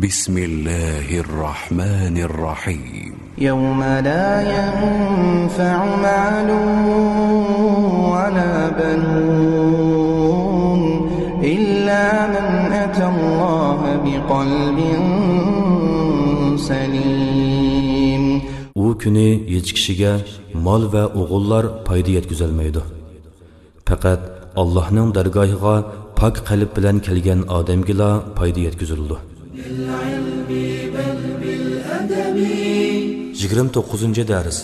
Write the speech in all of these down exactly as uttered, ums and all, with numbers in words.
بسم الله الرحمن الرحيم. يوم لا ينفع مال ولا بنون إلا من أتى الله بقلب سليم. ئۇ كۈنى ھېچ كىشىگە مال ۋە ئوغۇللار پايدا يەتكۈزەلمەيدۇ. پەقەت ئاللاھنىڭ دەرگاھىغا پاك قەلب بىلەن كەلگەن ئادەمگىلا پايدا يەتكۈزۈلىدۇ. يىگىرمە توققۇزىنچى دەرس.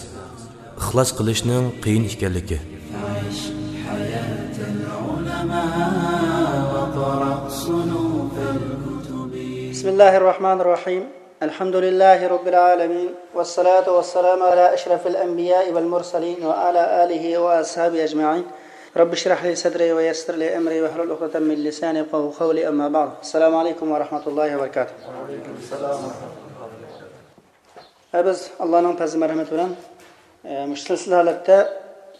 ئىخلاس قىلىشنىڭ قىيىن ئىكەنلىكى. بسم الله الرحمن الرحيم. الحمد لله رب العالمين، والصلاة والسلام على أشرف الأنبياء والمرسلين وعلى آله وأصحابه أجمعين. رب اشرح لي صدري ويسر لي أمري واحلل عقدة من لساني يفقهوا قولي، أما بعد. السلام عليكم ورحمة الله وبركاته. ھە، بىز ئاللانىڭ پەزلى مەرھەمىتى بىلەن، ئە، مۇشۇ سىلسىلە ھالەتتە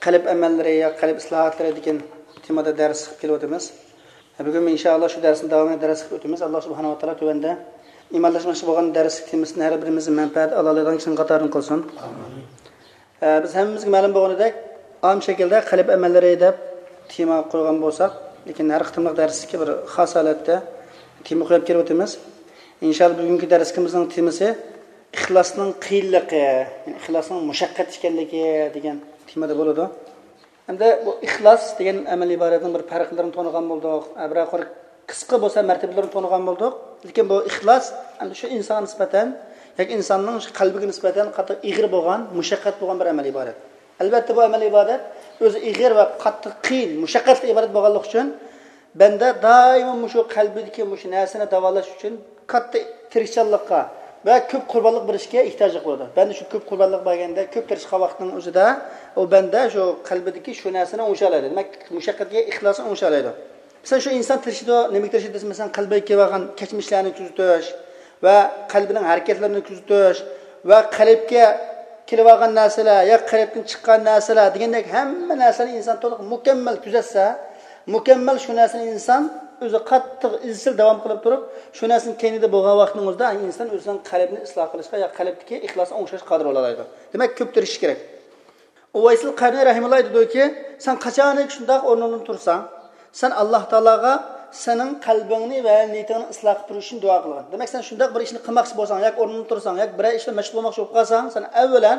قەلب ئەمەللىرى يا قەلب ئىسلاھاتلىرى دېگەن تېمىدا دەرس قىلىپ كېلىۋاتىمىز. بۈگۈن ئىنشائاللا شۇ دەرسنىڭ داۋامىدا دەرس قىلىپ ئۆتىمىز. ئاللا سۇبھانەھۇ ۋە تائالا تۆۋەندە ئىمانلاشماقچى بولغان دەرسلىك تېمىسىدىن ھەر بىرىمىزنى مەنپەئەت ئالالايدىغان كىشىنىڭ قاتارىدىن قىلسۇن. ئە، بىز ھەممىمىزگە مەلۇم بولغىنىدەك، ئام شەكىلدە قەلب ئەمەللىرى دەپ تېما قويغان بولساق، لېكىن ھەر قېتىملىق دەرسلىككە بىر خاس ھالەتتە تېما قويۇپ كېلىۋاتىمىز. ئىنشائاللا بۈگۈنكى دەرسلىكىمىزنىڭ تېمىسى ئىخلاسنىڭ قىيىنلىقى، يەنى ئىخلاسنىڭ مۇشەققەت ئىكەنلىكى دېگەن تېمىدا بولىدۇ. ئەمدى بۇ ئىخلاس دېگەن ئەمەل ئىبارەتنىڭ بىر پەرقلىرىنى تونۇغان بولدۇق. ھە، بىرەر قۇر قىسقا بولسا مەرتىبىلىرىنى تونۇغان بولدۇق. لېكىن بۇ ئىخلاس ئەمدى شۇ ئىنسانغا نىسبەتەن ياكى ئىنساننىڭ شۇ قەلبىگە نىسبەتەن قاتتىق ئېغىر بولغان، مۇشەققەت بولغان بىر ئەمەل ئىبادەت. ئەلۋەتتە، بۇ ئەمەل ئىبادەت ئۆزى ئېغىر ۋە قاتتىق قىيىن، مۇشەققەتلىك ئىبادەت بولغانلىقى ئۈچۈن بەندە دائىمۇ مۇشۇ قەلبىدىكى مۇشۇ نەرسىنى داۋالاش ئۈچۈن كاتتا تىرىشچانلىققا ۋە كۆپ قۇربانلىق بېرىشكە ئېھتىياجلىق بولىدۇ. بەندە شۇ كۆپ قۇربانلىق بەرگەندە، كۆپ تىرىشقان ۋاقىتنىڭ ئۆزىدە ئۇ بەندە شۇ قەلبىدىكى شۇ نەرسىنى ئوڭشالايدۇ. دېمەك، مۇشەققەتكە ئىخلاسنى ئوڭشالايدۇ. مىسال، شۇ ئىنسان تىرىشىدۇ، نېمىگە تىرىشىدۇ دېسە، مىسال، قەلبىگە كېلىۋالغان كەچمىشلەرنى تۈزىتىش ۋە قەلبىنىڭ ھەرىكەتلىرىنى كۆزىتىش ۋە قەلبكە كېلىۋالغان نەرسىلەر يا قەلبتىن چىققان نەرسىلەر دېگەندەك ھەممە نەرسىنى ئىنسان تولۇق مۇكەممەل كۆزەتسە، مۇكەممەل شۇ نەرسىنى ئىنسان ئۆزى قاتتىق ئىزچىل داۋام قىلىپ تۇرۇپ، شۇ نەرسىنىڭ كەينىدە بولغان ۋاقتىنىڭ ئۆزىدە ئىنسان ئۆزىنىڭ قەلبىنى ئىسلاھ قىلىشقا يا قەلبتىكى ئىخلاسنى ئوڭشاشقا قادىر بولالايدۇ. دېمەك، كۆپ تىرىشىش كېرەك. ئۇۋەيسىل قەرنى رەھىمۇللا ئېيتىدۇكى، سەن قاچانكى شۇنداق ئورنۇڭدىن تۇرساڭ، سەن ئاللا تائالاغا سېنىڭ قەلبىڭنى ۋە نىيىتىڭنى ئىسلاھ قىلىپ بېرىش ئۈچۈن دۇئا قىلغىن. دېمەك، سەن شۇنداق بىر ئىشنى قىلماقچى بولساڭ، ياكى ئورنۇڭدىن تۇرساڭ، ياكى بىرەر ئىش بىلەن مەشغۇل بولماقچى بولۇپ قالساڭ، سەن ئەۋۋەلەن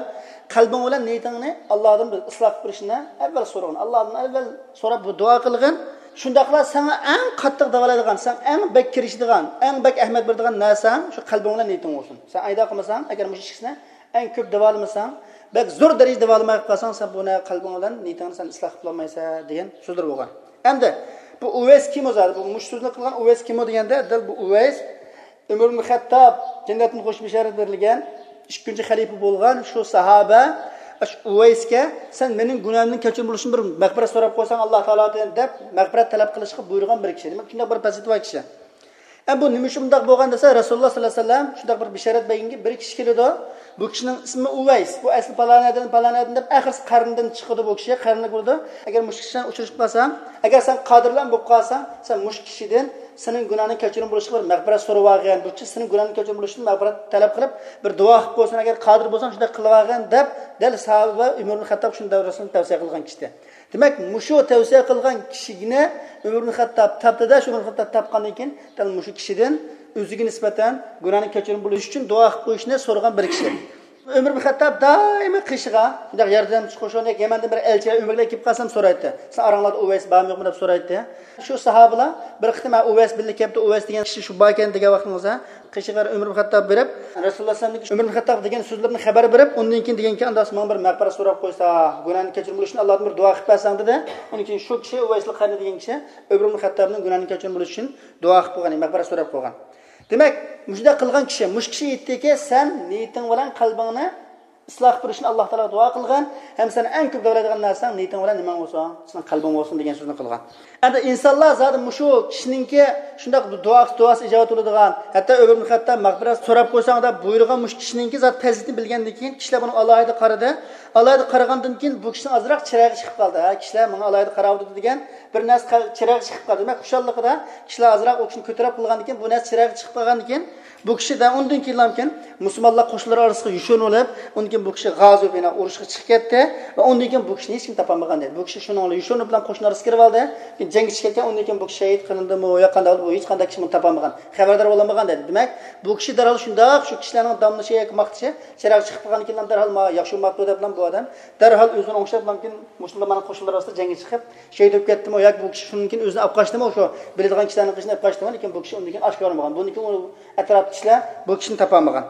قەلبىڭ بىلەن نىيىتىڭنى ئاللادىن بىر ئىسلاھ قىلىپ بېرىشنى ئەۋۋەل سورىغىن. ئاللادىن ئەۋۋەل سوراپ بۇ دۇئا قىلغىن. شۇنداقلا ساڭا ئەڭ قاتتىق داۋالايدىغان، سەن ئەڭ بەك كىرىشىدىغان، ئەڭ بەك ئەھمىيەت بېرىدىغان نەرسەڭ شۇ قەلبىڭ بىلەن نىيىتىڭ بولسۇن. سەن ئايدا قىلمىساڭ، ئەگەر مۇشۇ ئىككىسىنى ئەڭ كۆپ داۋالىمىساڭ، بەك زور دەرىجىدە داۋالىماي قالساڭ، سەن بۇنى قەلبىڭ بىلەن نىيىتىڭنى سەن ئىسلاھ قىلالمايسەن دېگەن سۆزلىرى بولغان. ئەمدى بۇ ئۇۋەيس كىم ئۇ زادى؟ بۇ مۇشۇ سۆزنى قىلغان ئۇۋەيس كىم ئۇ دېگەندە، دەل بۇ ئۇۋەيس ئۆمەر ئىبن خەتتاب جەننەتتىن خوش بېشارەت بېرىلگەن ئىككىنچى خەلىپە بولغان شۇ ساھابە، شۇ ئۇۋەيسكە، سەن مېنىڭ گۇناھىمدىن كەچۈرۈم بولۇشۇم بىر مەغپىرەت سوراپ قويساڭ، ئاللا تائالادىن دەپ مەغپىرەت تەلەپ قىلىشقا بۇيرۇغان بىر كىشى. دېمەك، شۇنداق بىر پەزىلىتى بار كىشى. ئە، بۇ نېمە ئۈچۈن بۇنداق بولغان دېسە، رەسۇلۇللا ساللاللاھۇ ئەلەيھى ۋەسەللەم شۇنداق بىر بېشارەت بەرگەنكى بىر كىشى كېلىدۇ. بۇ كىشىنىڭ ئىسمى ئۇۋەيس. بۇ ئەسلى پالان ئادەم، پالان ئادەم دەپ ئاخىرسى قەرنىدىن چىقىدۇ بۇ كىشى، قەرنىگە كىرىدۇ. ئەگەر مۇشۇ كىشى بىلەن ئۇچرىشىپ قالساڭ، ئەگەر سەن قادىر بىلەن بولۇپ قالساڭ، سەن مۇشۇ كىشىدىن سېنىڭ گۇناھىڭنى كەچۈرۈم بولۇشقا بىر مەغپىرەت سوراۋالغىن. بۇ كىشى سېنىڭ گۇناھىڭنى كەچۈرۈم بولۇش ئۈچۈن مەغپىرەت تەلەپ قىلىپ، بىر دۇئا قىلىپ قويسۇن، ئەگەر قادىر بولساڭ شۇنداق قىلىۋالغىن دەپ، دەل ساھابە ئۆمەر ئىبن خەتتاب شۇنداق بىر رەسۇلنى تەۋسىيە قىلغان كىشى. دېمەك، مۇشۇ تەۋسىيە قىلغان كىشىنى ئۆمەر ئىبن خەتتاب تاپتىدا، شۇ ئۆمەر ئىبن خەتتاب تاپقاندىن كېيىن، دەل مۇشۇ كىشىدىن ئۆزىگە نىسبەتەن گۇناھنى كەچۈرۈم بولۇش ئۈچۈن دۇئا قىلىپ قويۇشنى سورىغان بىر كىشى. ئۆمەر ئىبن خەتتاب دائىمى قېشىغا شۇنداق ياردەمچى قوشۇن ياكى يەمەندىن بىر ئەلچىلەر ئۆمەرگە كېلىپ قالسام سورايتتى. سەن ئاراڭلاردا ئۇۋەيس بارمۇ يوقمۇ دەپ سورايتتى. شۇ ساھابىلار بىر قېتىم، ھە، ئۇۋەيس بىللە كەپتۇ، ئۇۋەيس دېگەن كىشى شۇ باركەن دېگەن ۋاقتىڭىزدا، قېشىغا ئۆمەر ئىبن خەتتاب بېرىپ، رەسۇلۇللا سەللەللاھۇ ئەلەيھى ۋەسەللەمگە ئۆمەر ئىبن خەتتاب دېگەن سۆزلىرىنى خەۋەر بېرىپ، ئۇندىن كېيىن دېگەنكى، ئانداق ماڭا بىر مەغپىرەت سوراپ قويسا، گۇناھنى كەچۈرۈم بولۇش ئۈچۈن ئاللادىن بىر دۇئا قىلىپ بەرسەڭ دېدى. ئۇنىڭ كېيىن شۇ كىشى ئۇۋەيسىل قەرنى دېگەن كىشى ئۆمەر ئىبن خەتتابنىڭ گۇناھنى كەچۈرۈم بولۇش ئۈچۈن دۇئا قىلىپ قويغان، مەغپىرەت سوراپ قويغان. دېمەك، مۇشۇنداق قىلغان كىشى، مۇشۇ كىشى ئېيتتىكى، سەن نىيىتىڭ بىلەن قەلبىڭنى ئىسلاھ قىلىشنى ئاللا تائالاغا دۇئا قىلغان، ھەم سەن ئەڭ كۆپ داۋالايدىغان نەرسەڭ نىيىتىڭ بىلەن نېمەڭ بولسۇن، سېنىڭ قەلبىڭ بولسۇن دېگەن سۆزنى قىلغان. ئەمدى ئىنسانلار زادى مۇشۇ كىشىنىڭكى شۇنداق دۇئاسى، دۇئاسى ئىجابەت بولىدىغان، ھەتتا ئۆمەر ئىبن خەتتاب مەغپىرەت سوراپ قويساڭ دەپ بۇيرۇغان مۇشۇ كىشىنىڭكى زادى پەزىلىتىنى بىلگەندىن كېيىن، كىشىلەر بۇنىڭغا ئالاھىدە قارىدى. ئالاھىدە قارىغاندىن كېيىن بۇ كىشىنىڭ ئازراق چىرايى چىقىپ قالدى. ھە، كىشىلەر ماڭا ئالاھىدە قاراۋاتىدۇ دېگەن بىر نەرسە چىرايى چىقىپ قالدى. دېمەك، خۇشاللىقىدا كىشىلەر ئازراق ئۇ كىشىنى كۆتۈرەپ قىلغاندىن كېيىن، بۇ نەرسە چىرايى چىقىپ قالغاندىن كېيىن، بۇ كىشى دە ئۇندىن كېيىنلامكىن مۇسۇلمانلار قوشۇنلىرى ئارىسىغا يوشۇرۇنۇپ، ئۇندىن كېيىن بۇ كىشى غازا بىنا ئۇرۇشقا چىقىپ كەتتى ۋە ئۇندىن كېيىن بۇ كىشىنى ھېچكىم تاپالمىغان دېدى. بۇ كىشى شۇنىڭ بىلەن يوشۇرۇنۇپ بىلەن قوشۇن ئارىسىغا كىرىپ ئالدى. كېيىن جەڭگە چىقىپ كەتكەن، ئۇندىن كېيىن بۇ كىشى شېھىت قىلىندىمۇ يا قانداق بولدى، بۇ ھېچقانداق كىشى بۇنى تاپالمىغان، خەۋەردار بولالمىغان دېدى. دېمەك، بۇ كىشى دەرھال شۇنداق شۇ كىشىلەرنىڭ داملىشى ياكى ماختىشى چىراغ چىقىپ قالغاندىن كېيىن دەرھال ما ياخشى بولماپتۇ دەپ بۇ ئادەم دەرھال ئۆزىنى ئوڭشاپ، مۇسۇلمانلارنىڭ قوشۇنلىرى ئارىسىدا جەڭگە چىقىپ شېھىت بولۇپ كەتتىمۇ ياكى بۇ كىشى شۇنىڭ كېيىن ئۆزىنى ئاپ قاچتىمۇ، شۇ بىلىدىغان كىشىلەرنىڭ قېشىنى ئاپ قاچتىمۇ، لېكىن بۇ كىشى ئۇندىن كېيىن ئاشكارىلىمىغان. بۇندىن كېيىن ئۇ ئەتراپتىكى كىشىلەر بۇ كىشىنى تاپالمىغان.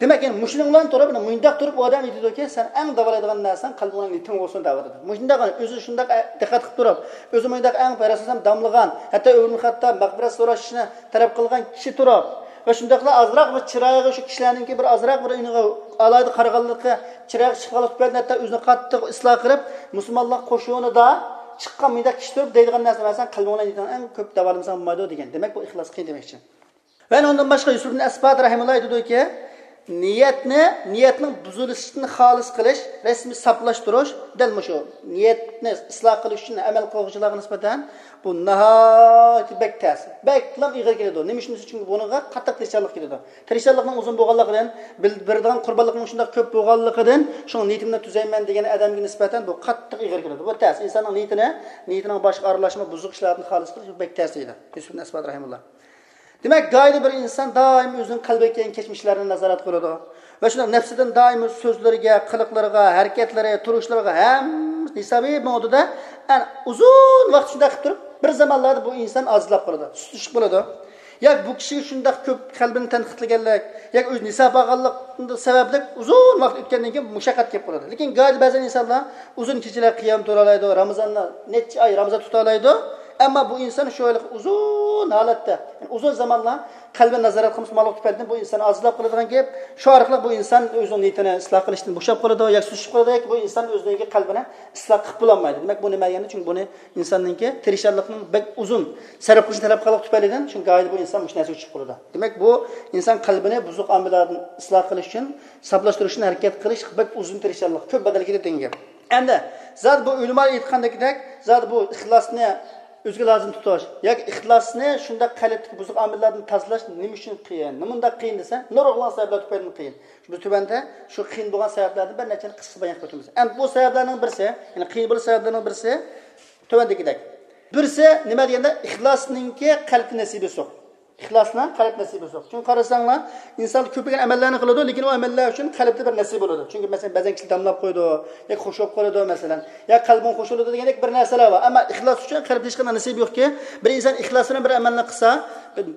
دېمەك، يەنە مۇشۇنىڭ بىلەن تۇرۇپ، مۇنداق تۇرۇپ ئۇ ئادەم ئېيتىدۇكى، سەن ئەڭ داۋالايدىغان نەرسەڭ قەلبىڭ بىلەن نىيىتىڭ بولسۇن دەۋاتىدۇ. مۇشۇنداق ئۆزى شۇنداق دىققەت قىلىپ تۇرۇپ، ئۆزى مۇنداق ئەڭ رەسۇلۇللام داملىغان، ھەتتا ئۆمەر ئىبن خەتتاب مەغپىرەت سوراشنى تەلەپ قىلغان كىشى تۇرۇپ ۋە شۇنداقلا ئازراق بىر چىرايىغا شۇ كىشىلەرنىڭكى بىر ئازراق بىر ئېنىقى ئالاھىدە قارىغانلىقى، چىرايىغا چىقىپ قالغان تۈپەيلىدىن ھەتتا ئۆزىنى قاتتىق ئىسلاھ قىلىپ، مۇسۇلمانلار قوشۇنىدا چىققان مۇنداق كىشى تۇرۇپ دەيدىغان نەرسە، مەسىلەن، قەلبىڭ بىلەن نىيىتىڭ ئەڭ كۆپ داۋالىمىساڭ بولمايدۇ دېگەن. دېمەك، بۇ ئىخلاس قىيىن دېمەكچى. ۋە ئۇنىڭدىن باشقا يۈسۈف ئىبن ئەسبات رەھىمۇللا ئېيتىدۇكى، نىيەتنى، نىيەتنىڭ بۇزۇلۇشىدىن خالىس قىلىش، رەسمىي ساپلاشتۇرۇش، دەل مۇشۇ نىيەتنى ئىسلاھ قىلىش ئۈچۈن ئەمەل قىلغۇچىلارغا نىسبەتەن بۇ ناھايىتى بەك تەس، بەكلا ئېغىر كېلىدۇ. نېمە ئۈچۈن دېسە، چۈنكى بۇنىڭغا قاتتىق تىرىشچانلىق كېتىدۇ. تىرىشچانلىقنىڭ ئۇزۇن بولغانلىقىدىن، بىل-، بېرىدىغان قۇربانلىقنىڭ شۇنداق كۆپ بولغانلىقىدىن، شۇڭا نىيىتىمنى تۈزەيمەن دېگەن ئادەمگە نىسبەتەن بۇ قاتتىق ئېغىر كېلىدۇ. بۇ تەس. ئىنساننىڭ نىيىتىنى، نىيىتىنىڭ باشقا ئارىلاشما بۇزۇق ئىشلاردىن خالىس قىلىش بۇ بەك تەس دەيدۇ يۈسۈف ئىبن ئەسبات رەھىمۇللا. دېمەك، گاھىدا بىر ئىنسان دائىم ئۆزىنىڭ قەلبىگە كەلگەن كەچمىشلەرنى نازارەت قىلىدۇ ۋە شۇنداق نەپسىدىن دائىم سۆزلىرىگە، قىلىقلىرىغا، ھەرىكەتلىرى، تۇرۇشلىرىغا ھەممىسى ھېسابىي مېڭىدۇ-دە، ئەنە ئۇزۇن ۋاقىت شۇنداق قىلىپ تۇرۇپ، بىر زامانلاردا بۇ ئىنسان ئاجىزلاپ قالىدۇ، سۇسلىشىپ قالىدۇ. ياكى بۇ كىشىگە شۇنداق كۆپ قەلبىنى تەنقىدلىگەنلىك، ياكى ئۆزى نىساپ ئالغانلىق سەۋەبلىك ئۇزۇن ۋاقىت ئۆتكەندىن كېيىن مۇشەققەت كېلىپ قالىدۇ. لېكىن گاھىدا بەزەن ئىنسانلار ئۇزۇن كېچىلەر قىيام تۇرالايدۇ، رامىزاندا نەچچە ئاي رامىزان تۇتالايدۇ. ئەمما بۇ ئىنسان شۇ ھېلىقى ئۇزۇن ھالەتتە، يەنى ئۇزۇن زامانلار قەلبىنى نازارەت قىلمىسا، ماڭلىق تۈپەيلىدىن بۇ ئىنسان ئاجىزلاپ قالىدىغان گەپ. شۇ ئارقىلىق بۇ ئىنسان ئۆزىنىڭ نىيىتىنى ئىسلاھ قىلىشتىن بوشاپ قالىدۇ، ياكى سۇسلىشىپ قالىدۇ، ياكى بۇ ئىنسان ئۆزىنىڭكى قەلبىنى ئىسلاھ قىلىپ بولالمايدۇ. دېمەك، بۇ نېمە دېگەندە، چۈنكى بۇنى ئىنساننىڭكى تىرىشچانلىقنىڭ بەك ئۇزۇن سەرپ قىلىشنى تەلەپ قىلغانلىقى تۈپەيلىدىن، شۇ گاھىدا بۇ ئىنسان مۇشۇ نەرسىگە چۈشۈپ قالىدۇ. دېمەك، بۇ ئىنسان قەلبىنى بۇزۇق ئامىللاردىن ئىسلاھ قىلىش ئۈچۈن، ساپلاشتۇرۇش ئۈچۈن ھەرىكەت قىلىش بەك ئۇزۇن تىرىشچانلىق، كۆپ بەدەل كېتىدۇ دېگەن گەپ. ئەمدى زادى بۇ ئۆلىمالار ئېيتقاندەكدەك، زادى بۇ ئىخلاسنى ئۆزىگە لازىم تۇتۇش ياكى ئىخلاسنى شۇنداق قەلبتىكى بۇزۇق ئامىللاردىن تازىلاش نېمە ئۈچۈن قىيىن؟ نېمانداق قىيىن دېسە، نۇرغۇنلىغان سەۋەبلەر تۈپەيلىدىن قىيىن. بىز تۆۋەندە شۇ قىيىن بولغان سەۋەبلەردىن بىر نەچچىنى قىسقىچە بايان قىلىپ ئۆتىمىز. ئەمدى بۇ سەۋەبلەرنىڭ بىرسى، يەنى قىيىن بولۇش سەۋەبلىرىنىڭ بىرسى تۆۋەندىكىدەك. بىرسى نېمە دېگەندە، ئىخلاسنىڭكى قەلبتە نېسىبى يوق. ئىخلاسنىڭ قەلب نېسىبى يوق. چۈنكى قارىساڭلار، ئىنسان كۆپلىگەن ئەمەللەرنى قىلىدۇ، لېكىن ئۇ ئەمەللەر ئۈچۈن قەلبتە بىر نېسىبى بولىدۇ. چۈنكى، مەسىلەن، بەزەن كىشى دەملاپ قويىدۇ، ياكى خۇش بولۇپ قالىدۇ، مەسىلەن، يا قەلبىڭ خۇش بولىدۇ دېگەندەك بىر نەرسىلەر بار. ئەمما ئىخلاس ئۈچۈن قەلبتە ھېچقانداق نېسىبى يوقكى، بىر ئىنسان ئىخلاس بىلەن بىر ئەمەلنى قىلسا،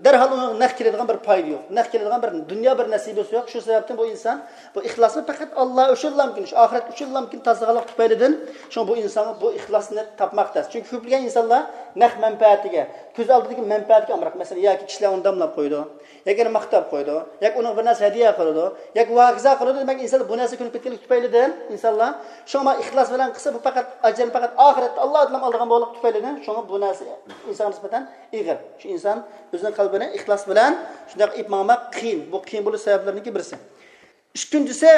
دەرھال ئۇنىڭ نەق كېلىدىغان بىر پايدا يوق. نەق كېلىدىغان بىر دۇنيا بىر نېسىبىسى يوق. شۇ سەۋەبتىن بۇ ئىنسان بۇ ئىخلاسنى پەقەت ئاللا ئۈچۈنلامكىن، شۇ ئاخىرەت ئۈچۈنلامكىن تازىلىغانلىق تۈپەيلىدىن، شۇڭا بۇ ئىنسانغا بۇ ئىخلاسنى تاپماق تەس. چۈنكى كۆپلىگەن ئىنسانلار نەق مەنپەئەتىگە، كۆز ئالدىدىكى مەنپەئەتكە ئامراق. مەسىلەن، ياكى كىشىلەر ئۇنى دەملاپ قويىدۇ، ياكى يەنە ماختاپ قويىدۇ، ياكى ئۇنىڭغا بىر نەرسە ھەدىيە قىلىدۇ، ياكى ۋاكىزا قىلىدۇ. دېمەك، ئىنسانلار بۇ نەرسىگە كۆنۈپ كەتكەنلىك تۈپەيلىدىن ئىنسانلار شۇڭا ئىخلاس بىلەن قىلسا، بۇ پەقەت ئەجرىنى پەقەت ئاخىرەتتە ئاللا ئادلام ئالىدىغان بولغانلىق تۈپەيلىدىن، شۇڭا بۇ نەرسە ئىنسانغا نىسبەتەن ئېغىر. شۇ ئىنسان ئۆزىنىڭ قەلبىنى ئىخلاس بىلەن شۇنداق ئېلىپ ماڭماق قىيىن. بۇ قىيىن بولۇش سەۋەبلىرىنىڭكى بىرسى. ئىككىنچىسى،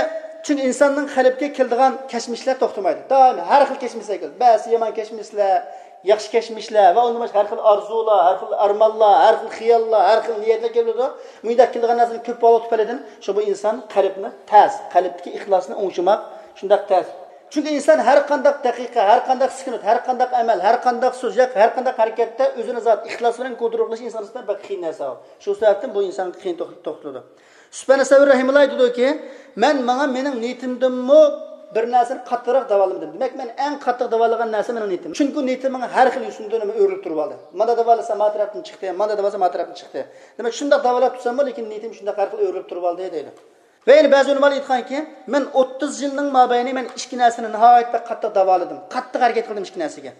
چۈنكى ئىنساننىڭ قەلبىگە كېلىدىغان كەچمىشلەر توختىمايدۇ. دائىم ھەر خىل كەچمىشلەر كېلىدۇ. بەزى يامان كەچمىشلەر، ياخشى كەچمىشلەر ۋە ئۇندىن باشقا ھەر خىل ئارزۇلار، ھەر خىل ئارمانلار، ھەر خىل خىياللار، ھەر خىل نىيەتلەر كېلىدۇ. مۇنداق كېلىدىغان نەرسىنىڭ كۆپ بولغانلىقى تۈپەيلىدىن، شۇ بۇ ئىنسان قەلبىنى تەس، قەلبتىكى ئىخلاسنى ئوڭشىماق شۇنداق تەس. چۈنكى ئىنسان ھەر قانداق دەقىقە، ھەر قانداق سېكۇنت، ھەر قانداق ئەمەل، ھەر قانداق سۆز ياكى ھەر قانداق ھەرىكەتتە ئۆزىنى زادى ئىخلاس بىلەن كونترول قىلىش ئىنسان ئۈستىدە بەك قىيىن نەرسە. شۇ سەۋەبتىن بۇ ئىنسانغا قىيىن توق-، توختىلىدۇ. سۇپيان سەۋرى رەھىمۇللا ئېيتىدۇكى، مەن ماڭا مېنىڭ نىيىتىمدىنمۇ بىر نەرسىنى قاتتىقراق داۋالىمىدىم. دېمەك، مەن ئەڭ قاتتىق داۋالىغان نەرسە مېنىڭ نىيىتىم. چۈنكى نىيىتىم ماڭا ھەر خىل يوسۇندىن ئۆرۈلۈپ تۇرۇۋالدى. مانا داۋالىسا ما تەرەپتىن چىقتى، مانا داۋالىسا ما تەرەپتىن چىقتى. دېمەك، شۇنداق داۋالاپ تۇرساممۇ، لېكىن نىيىتىم شۇنداق ھەر خىل ئۆرۈلۈپ تۇرۇۋالدى دەيدۇ. ۋە يەنە بەزى ئۆلىمالار ئېيتقانكى، مەن ئوتتۇز يىلنىڭ مابەينى مەن ئىككى نەرسىنى ناھايىتى بەك قاتتىق داۋالىدىم، قاتتىق ھەرىكەت قىلدىم ئىككى نەرسىگە.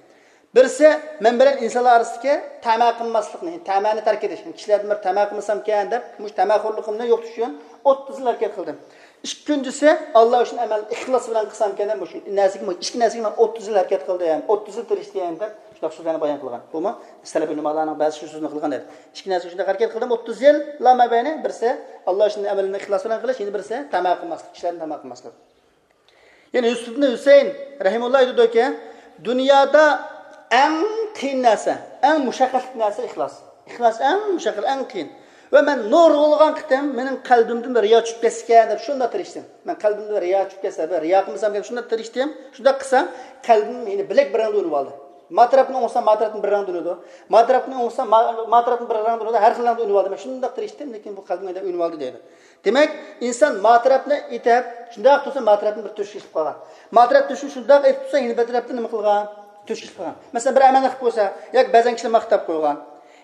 بىرسى، مەن بىلەن ئىنسانلار ئارىسىدىكى تەمە قىلماسلىقنى، تەمەنى تەرك ئېتىش، كىشىلەردىن بىر تەمە قىلمىسامكەن دەپ، مۇشۇ تەمەخورلۇقۇمنى يوقىتىش ئۈچۈن ئوتتۇز يىل ھەرىكەت قىلدىم. ئىككىنچىسى، ئاللا ئۈچۈن ئەمەل ئىخلاس بىلەن قىلسامكەن، مۇشۇ نەرسىگە، مۇشۇ ئىككى نەرسىگە مەن ئوتتۇز يىل ھەرىكەت قىلدىم، ئوتتۇز يىل تىرىشتىم دەپ شۇنداق سۆزلەرنى بايان قىلغان. بۇمۇ سەلەپ ئۆلىمالارنىڭ بەزى شۇ سۆزنى قىلغان ئىدى. ئىككى نەرسىگە شۇنداق ھەرىكەت قىلدىم، ئوتتۇز يىل لا مەبەينى، بىرسى ئاللا ئۈچۈن ئەمەلنى ئىخلاس بىلەن قىلىش، يەنە بىرسى تەما قىلماسلىق، كىشىلەرنى تەما قىلماسلىق. يەنى يۈسۈف ئىبن ھۈسەيىن رەھىمۇللا ئېيتىدۇكى، دۇنيادا ئەڭ قىيىن نەرسە، ئەڭ مۇشەققەتلىك نەرسە ئىخلاس. ئىخلاس ئەڭ مۇشەققەت، ئەڭ قىيىن. ۋە مەن نۇرغۇنلىغان قېتىم مېنىڭ قەلبىمدىن بىر رىيا چۈشۈپ كەتسىكەن دەپ شۇنداق تىرىشتىم. مەن قەلبىمدە بىر رىيا چۈشۈپ كەتسە، بىر رىيا قىلمىسامكەن شۇنداق تىرىشتىم. شۇنداق قىلسام، قەلبىم يەنە بىلەك بىر رەڭدە ئۆنۈۋالدى. ما تەرەپنى ئوڭشىسام، ما تەرەپتىن بىر رەڭدە ئۆنىدۇ. ما تەرەپنى ئوڭشىسام، ما، ما تەرەپتىن بىر رەڭدە ئۆنىدۇ. ھەر خىل رەڭدە ئۆنۈۋالدى. مەن شۇنداق تىرىشتىم، لېكىن بۇ قەلبىم يەنە ئۆنۈۋالدى دەيدۇ. دېمەك، ئىنسان ما تەرەپنى ئېتىپ، شۇنداق تۇرسا ما تەرەپتىن بىر تۆشۈك ئېلىپ قالغان. ما تەرەپ تۆشۈك شۇنداق ئېتىپ تۇرسا، يەنە بىر تەرەپتىن نېمە قىلغان؟ تۆشۈك ئېلىپ قالغان. مەسىلەن، بىر ئەمەلنى قىلىپ قويسا، ياكى بەزەن كىشىلەر ماختاپ قويغان،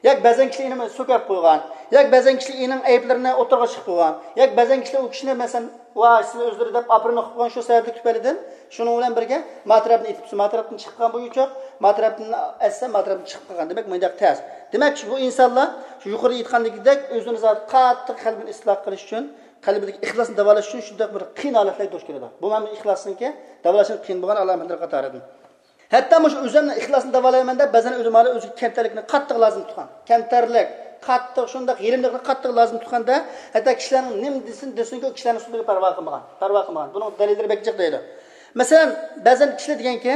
ياكى بەزەن كىشىلەر ئېنىڭ سۆكەپ قويغان، ياكى بەزەن كىشىلەر ئېنىڭ ئەيىبلىرىنى ئوتتۇرىغا چىقىپ قويغان، ياكى بەزەن كىشىلەر ئۇ كىشىنى، مەسىلەن، ۋاي سىلەر ئۆزلىرى دەپ ئاپىرىن ئوقۇپ قويغان شۇ سەۋەبلىك تۈپەيلىدىن، شۇنىڭ بىلەن بىرگە ما تەرەپتىن ئېتىپ، ما تەرەپتىن چىقىپ قالغان بۇ يوچۇق، ما تەرەپتىن ئەتسە، ما تەرەپتىن چىقىپ قالغان. دېمەك، مۇنداق تەس. دېمەك، بۇ ئىنسانلار شۇ يۇقىرىدا ئېيتقاندىكىدەك ئۆزىنى زادى قاتتىق قەلبىنى ئىسلاھ قىلىش ئۈچۈن، قەلبىدىكى ئىخلاسنى داۋالاش ئۈچۈن شۇنداق بىر قىيىن ھالەتلەرگە دۇچ كېلىدۇ. بۇ مەن ئىخلاسنىڭكى داۋالاشنىڭ قىيىن بولغان ئالامەتلىرى قاتارىدىن. ھەتتا مۇشۇ ئۆزۈمنىڭ ئىخلاسنى داۋالايمەن دەپ، بەزەن ئۆلىمالار ئۆزىگە كەمتەرلىكنى قاتتىق لازىم تۇتقان. كەمتەرلىك، قاتتىق شۇنداق يېرىملىقنى قاتتىق لازىم تۇتقاندا، ھەتتا كىشىلەرنىڭ نېمە دېسۇن، دېسۇنكى، ئۇ كىشىلەرنىڭ سۆزىگە پەرۋا قىلمىغان، پەرۋا قىلمىغان. بۇنىڭ دەلىللىرى بەك جىق دەيدۇ. مەسىلەن، بەزەن كىشىلەر دېگەنكى،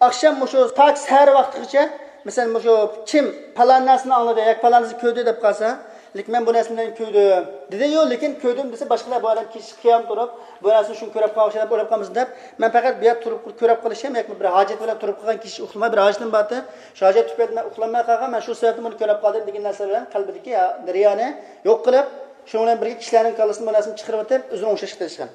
ئاخشام مۇشۇ تاكى سەھەر ۋاقتىغىچە، مەسىلەن، مۇشۇ كىم پالان نەرسىنى ئاڭلىدى ياكى پالان نەرسىنى كۆردى دەپ قالسا، لېكىن مەن بۇ نەرسىنى كۆردۈم دېدى. يوق، لېكىن كۆردۈم دېسە، باشقىلار بۇ ئادەم كېچە قىيام تۇرۇپ، بۇ نەرسىنى شۇ كۆرۈپ قالغان ئوخشايدۇ دەپ ئويلاپ قالمىسۇن دەپ، مەن پەقەت بۇ يەردە تۇرۇپ كۆرۈپ قېلىشىم ياكى بىر ھاجەت بىلەن تۇرۇپ قالغان كېچە ئۇخلىماي بىر ھاجىتىم بارتى. شۇ ھاجەت تۈپەيلىدىن مەن ئۇخلىماي قالغان، مەن شۇ سەۋەبتىن بۇنى كۆرۈپ قالدىم دېگەن نەرسىلەر بىلەن قەلبىدىكى رىيانى يوق قىلىپ، شۇنىڭ بىلەن بىرگە كىشىلەرنىڭ كاللىسىدىن بۇ نەرسىنى چىقىرىۋېتىپ، ئۆزىنى ئوڭشاشقا تىرىشقان.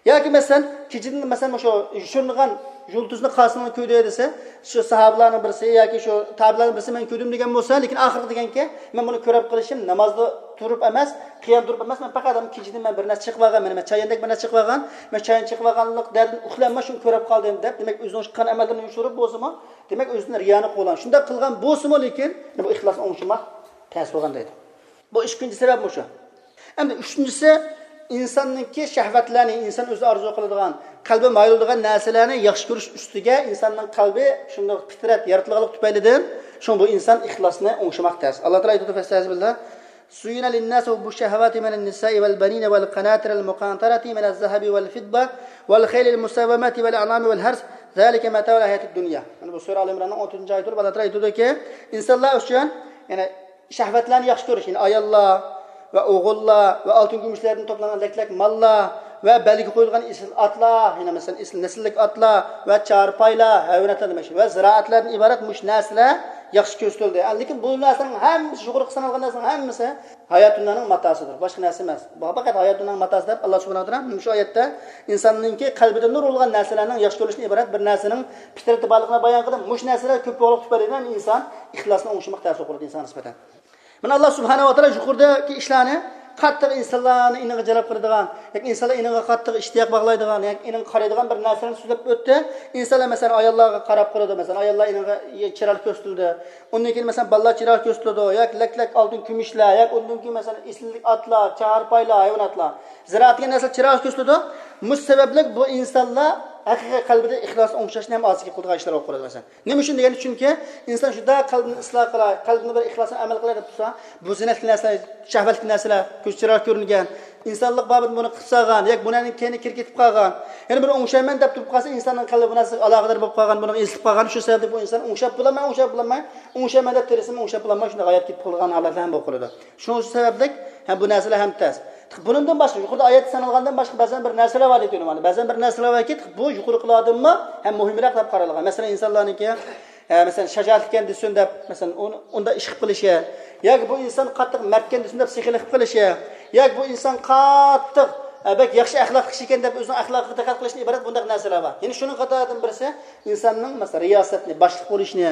ياكى مەسىلەن، كېچىدىن مەسىلەن، مۇشۇ يوشۇرۇنغان يۇلتۇزنى قاسىڭنى كۆردى دېسە، شۇ ساھابىلارنىڭ بىرسى ياكى شۇ تابىئلارنىڭ بىرسى مەن كۆردۈم دېگەن بولسا، لېكىن ئاخىرقى دېگەنكى، مەن بۇنى كۆرۈپ قېلىشىم نامازدا تۇرۇپ ئەمەس، قىيام تۇرۇپ ئەمەس، مەن پەقەت كېچىدىن مەن بىر نەرسە چېقىۋالغان، مەن، مەن چاياندەك بىر نەرسە چېقىۋالغان، مەن چايان چېقىۋالغانلىق دەردىن ئۇخلىماي شۇنى كۆرۈپ قالدىم دەپ، دېمەك، ئۆزىنىڭ قىلغان ئەمەللىرىنى يوشۇرۇپ بولسىمۇ، دېمەك، ئۆزىدىن رىيانى قوغلىغان. شۇنداق قىلغان بولسىمۇ، لېكىن بۇ ئىخلاسنى ئوڭشىماق تەس بولغان دەيدۇ. بۇ ئىككىنچى سەۋەب مۇشۇ. ئەمدى ئۈچىنچىسى، ئىنساننىڭكى شەھۋەتلەرنى، ئىنسان ئۆزى ئارزۇ قىلىدىغان، قەلبى مايىل بولىدىغان نەرسىلەرنى ياخشى كۆرۈش ئۈستىگە ئىنساننىڭ قەلبى شۇنداق پىترەت يارىتىلغانلىق تۈپەيلىدىن، شۇڭا بۇ ئىنسان ئىخلاسنى ئوڭشىماق تەس. ئاللا تائالا ئېيتىدۇ، فەستەئىزبىللا، زُيِّنَ لِلنَّاسِ حُبُّ الشَّهَوَاتِ مِنَ النِّسَاءِ وَالْبَنِينَ وَالْقَنَاطِرِ الْمُقَنْطَرَةِ مِنَ الذَّهَبِ وَالْفِضَّةِ وَالْخَيْلِ الْمُسَوَّمَةِ وَالْأَنْعَامِ وَالْحَرْثِ ذَلِكَ مَتَاعُ الْحَيَاةِ الدُّنْيَا. مانا بۇ سۈرە ئال ئىمراننىڭ ئون تۆتىنچى ئايىتى بولۇپ، ئاللا تائالا ئېيتىدۇكى، ئىنسانلار ئۈچۈن، يەنى شەھۋەتلەرنى ياخشى كۆرۈش، يەنى ئاياللار ۋە ئوغۇللار ۋە ئالتۇن كۈمۈشلەردىن توپلانغان لەك-لەك ماللار ۋە بەلگە قويۇلغان ئېسىل ئاتلار، يەنى مەسىلەن، ئېسىل نەسىللىك ئاتلار ۋە چارپايلار، ھايۋاناتلار دېمەك، ۋە زىرائەتلەردىن ئىبارەت مۇشۇ نەرسىلەر ياخشى كۆرسىتىلدى. لېكىن بۇ نەرسىنىڭ ھەممىسى، يۇقىرىقى سانالغان نەرسىنىڭ ھەممىسى ھايات دۇنيانىڭ ماتاسىدۇر، باشقا نەرسە ئەمەس. بۇ پەقەت ھايات دۇنيانىڭ ماتاسى دەپ، ئاللا سۇبھانەھۇ ۋە تائالا مۇشۇ ئايەتتە ئىنساننىڭكى قەلبىدە نۇر بولغان نەرسىلەرنىڭ ياخشى كۆرۈلۈشىدىن ئىبارەت بىر نەرسىنىڭ پىترىتى بارلىقىنى بايان قىلىپ، مۇشۇ نەرسىلەر كۆپ بولغانلىق تۈپەيلىدىن ئىنسان ئىخلاسنى ئوڭشىماق تەس بولىدۇ ئىنسانغا نىسبەتەن. مانا، ئاللا سۇبھانەھۇ ۋە تائالا يۇقىرىدىكى ئىشلارنى قاتتىق ئىنسانلارنى ئېنىغا جەلپ قىلىدىغان، ياكى ئىنسانلار ئېنىغا قاتتىق ئىشتىياق باغلايدىغان، ياكى ئېنىغا قارايدىغان بىر نەرسىلەرنى سۆزلەپ ئۆتتى. ئىنسانلار، مەسىلەن، ئاياللارغا قاراپ قالىدۇ، مەسىلەن، ئاياللار ئېنىغا چىرايلىق كۆرسىتىلىدۇ. ئۇندىن كېيىن، مەسىلەن، بالىلار چىرايلىق كۆرسىتىلىدۇ، ياكى لەك-لەك ئالتۇن كۈمۈشلەر، ياكى ئۇندىن كېيىن، مەسىلەن، ئېسىللىك ئاتلار، چارپايلار، ھايۋاناتلار، زىرائەت دېگەن نەرسىلەر چىرايلىق كۆرسىتىلىدۇ. مۇشۇ سەۋەبلىك بۇ ئىنسانلار ھەقىقىي قەلبىدە ئىخلاسنى ئوڭشاشنى ھەم ئازىكى قىلىدىغان ئىشلار بولۇپ قالىدۇ، مەسىلەن. نېمە ئۈچۈن دېگەندە، چۈنكى ئىنسان شۇنداق قەلبىنى ئىسلاھ قىلاي، قەلبىنى بىر ئىخلاسنى ئەمەل قىلاي دەپ تۇرسا، بۇ زىننەتلىك نەرسىلەر، شەھۋەتلىك نەرسىلەر، كۆز چىرايغا كۆرۈنگەن، ئىنسانلىق بابىدا بۇنى قىلىپ سالغان، ياكى بۇنىڭ كەينىگە كىرىپ كېتىپ قالغان، يەنە بىر ئوڭشايمەن دەپ تۇرۇپ قالسا، ئىنساننىڭ قەلبى بۇ نەرسىگە ئالاقىدار بولۇپ قالغان، بۇنىڭغا ئېسىلىپ قالغان، شۇ سەۋەبتىن بۇ ئىنسان ئوڭشاپ بولالماي، ئوڭشاپ بولالماي، ئوڭشايمەن دەپ تىرىشسىمۇ ئوڭشاپ بولالماي، شۇنداق ھايات كېتىپ قالغان ھالەتلەر ھەم بولۇپ قالىدۇ. شۇ سەۋەبلىك ھەم بۇ نەرسىلەر ھەم تەس. بۇنىڭدىن باشقا، يۇقىرىدا ئايەتتە سانالغاندىن باشقا بەزەن بىر نەرسىلەر بار دەيدۇ ئۆلىمالار. بەزەن بىر نەرسىلەر باركى، بۇ يۇقىرىقىلاردىنمۇ ھەم مۇھىمراق دەپ قارالغان. مەسىلەن، ئىنسانلارنىڭكى، ئە، مەسىلەن، شاجائەتلىككەن دېسۇن دەپ، مەسىلەن، ئۇنى، ئۇنداق ئىش قىلىپ قېلىشى، ياكى بۇ ئىنسان قاتتىق مەردكەن دېسۇن دەپ سېخىي قىلىپ قېلىشى، ياكى بۇ ئىنسان قاتتىق، ئە، بەك ياخشى ئەخلاقلىق كىشى ئىكەن دەپ ئۆزىنىڭ ئەخلاقىغا دىققەت قىلىشتىن ئىبارەت بۇنداق نەرسىلەر بار. يەنى شۇنىڭ قاتارىدىن بىرسى ئىنساننىڭ، مەسىلەن، رىياسەتنى، باشلىق بولۇشنى،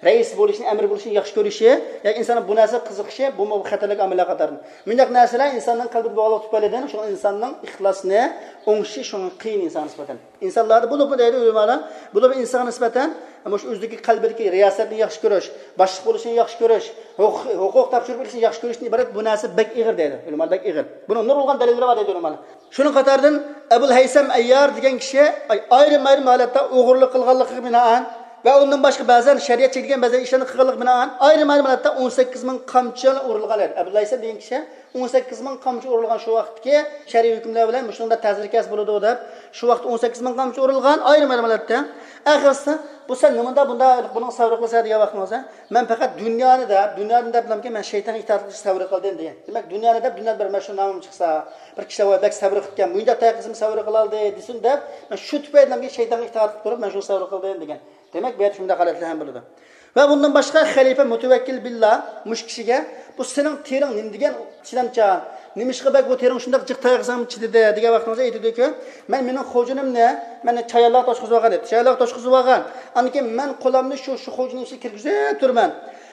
رەئىس بولۇشنى، ئەمىر بولۇشنى ياخشى كۆرۈشى، ياكى ئىنساننىڭ بۇ نەرسىگە قىزىقىشى، بۇمۇ خەتەرلىك ئامىللار قاتارىدىن. مۇنداق نەرسىلەر ئىنساننىڭ قەلبىدە بولغانلىقى تۈپەيلىدىن، شۇڭا ئىنساننىڭ ئىخلاسنى ئوڭشىشى شۇڭا قىيىن ئىنسانغا نىسبەتەن. ئىنسانلاردا بولۇپمۇ دەيدۇ ئۆلىمالار، بولۇپمۇ ئىنسانغا نىسبەتەن مۇشۇ ئۆزىدىكى قەلبىدىكى رىياسەتنى ياخشى كۆرۈش، باشلىق بولۇشنى ياخشى كۆرۈش، ھوقۇق، ھوقۇق تاپشۇرۇپ بېرىشنى ياخشى كۆرۈشتىن ئىبارەت بۇ نەرسە بەك ئېغىر دەيدۇ ئۆلىمالار، بەك ئېغىر. بۇنىڭ نۇرغۇنلىغان دەلىللىرى بار دەيدۇ ئۆلىمالار. شۇنىڭ قاتارىدىن ئەبۇل ھەيسەم ئەييار دېگەن كىشى ئايرىم-ئايرىم ھالەتتە ئوغرىلىق قىلغانلىقىغا بىنائەن ۋە ئۇندىن باشقا بەزەن شەرىئەت چەكلىگەن بەزەن ئىشلارنى قىلغانلىقىغا بىنائەن ئايرىم-ئايرىم ھالەتتە ئون سەككىز مىڭ قامچىلار ئۇرۇلغان ئىدى. ئەبۇل ھەيسەم دېگەن كىشى ئون سەككىز مىڭ قامچا ئۇرۇلغان شۇ ۋاقىتتىكى شەرئىي ھۆكۈملەر بىلەن مۇشۇنىڭدا تەسىر كەس بولىدۇ دەپ، شۇ ۋاقىتتا ئون سەككىز مىڭ قامچا ئۇرۇلغان ئايرىم-ئايرىم ھالەتتە. ئەخىرسى، بۇ سەن نېمىنداق بۇنداق بۇنىڭ سەۋر قىلىسەن دېگەن ۋاقتىڭىزدا، مەن پەقەت دۇنيانى دەپ، دۇنيانى دەپ بىلەنكى مەن شەيتانغا ئىتائەت قىلىشنى سەۋر قىلدىم دېگەن. دېمەك، دۇنيانى دەپ، دۇنيادا بىر مەشھۇر نامىم چىقسا، بىر كىشى ۋاي بەك سەۋر قىلىپكەن، مۇنداق تەقىسىم سەۋر قىلالدى دېسۇن دەپ، مەن شۇ تۈپەيلىدىن شەيتانغا ئىتائەت قىلىپ تۇرۇپ، مەن شۇنى سەۋر قىلدىم دېگەن. دېمەك، بۇ يەردە شۇنداق ھالەتلەر ھەم بولىدۇ. ۋە بۇندىن باشقا خەلىپە مۇتەۋەككىل بىللا مۇشۇ كىشىگە، بۇ سېنىڭ تېرىڭ نېمە دېگەن چىدامچان، نېمىشقا بەك بۇ تېرىڭ شۇنداق جىق تاياق يېسەڭمۇ چىدىدى دېگەن ۋاقتىڭىزدا ئېيتىدۇكى، مەن مېنىڭ خوجىنىمنى، مەن چايانلارغا توشقۇزۇۋالغان ئىدى، چايانلارغا توشقۇزۇۋالغان. ئاندىن كېيىن مەن قولۇمنى شۇ، شۇ خوجىنىڭ ئىچىگە كىرگۈزۈپ تۇرىمەن.